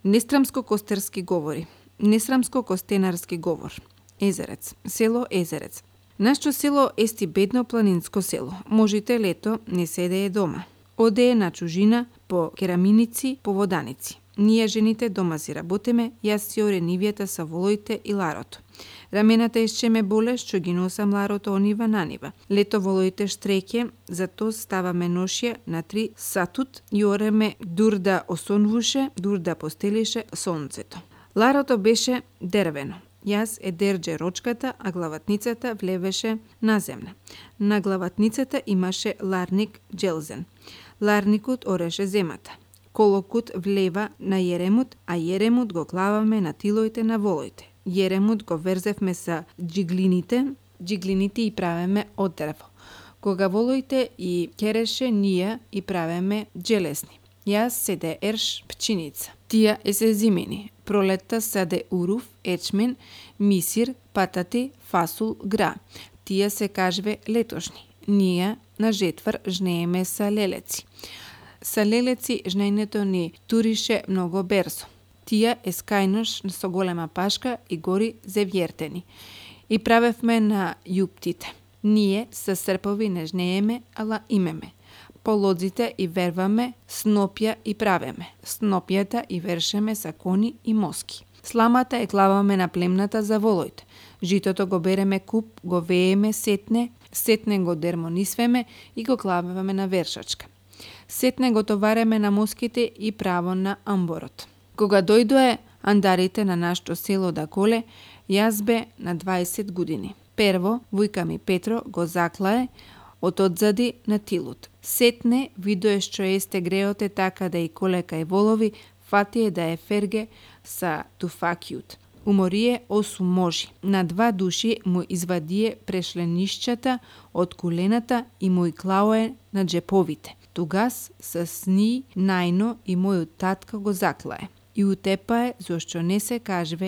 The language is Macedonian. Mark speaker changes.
Speaker 1: Несрамско-костерски говори. Несрамско-костенарски говор. Езерец. Село Езерец. Нашто село ести бедно планинско село. Можите лето не седее дома. Одее на чужина по кераминици, по воданици. Ние жените дома си работиме, јас си оре нивјата са волоите и ларото. Рамената исче ме боле, што ги носам ларото онива на нива. Лето волоите штреке, зато ставаме ношија на 3 сатут и ореме дур да осонвуше, дур да постелише сонцето. Ларото беше дервено. Јас дерџе рочката, а главатницата влевеше на земја. На главатницата имаше ларник джелзен. Ларникот ореше земата. Колокот влева на јеремот, а јеремот го клаваме на тилоите на волоите. Јеремот го верзевме са джиглините и правеме од дрво. Кога волоите и кереше, ние и правеме джелесни. Јас седе ерш пчиница. Тија се зимени. Пролетта саде урув, ечмен, мисир, патати, фасул, гра. Тија се кажве летошни. Ние на жетвар жнееме са лелеци. Са лелеци жнењето ни турише многу берзо. Тија скајнош со голема пашка и гори зевјертени. И правевме на јуптите. Ние со српови не жнееме, ала имеме. По лодзите и верваме, снопја и правеме. Снопјата и вершеме са кони и моски. Сламата клаваме на племната за волоите. Житото го береме куп, го вееме сетне го дермонисвеме и го клаваме на вершачка. Сетне го товареме на моските и право на амборот. Кога дојдоe андарите на нашето село да коле, јас бе на 20 години. Прво, вујка ми Петро го заклае од одзади на тилот. Сетне видое што есте греоте така да и коле кај волови, фатие да е ферге са туфакјут. Уморие 8 можи. На 2 души му извадие прешленишчата од колената и му и клауе на джеповите. Тогас с ни најно и мојот татка го заклае. И утепае зашто не се кажве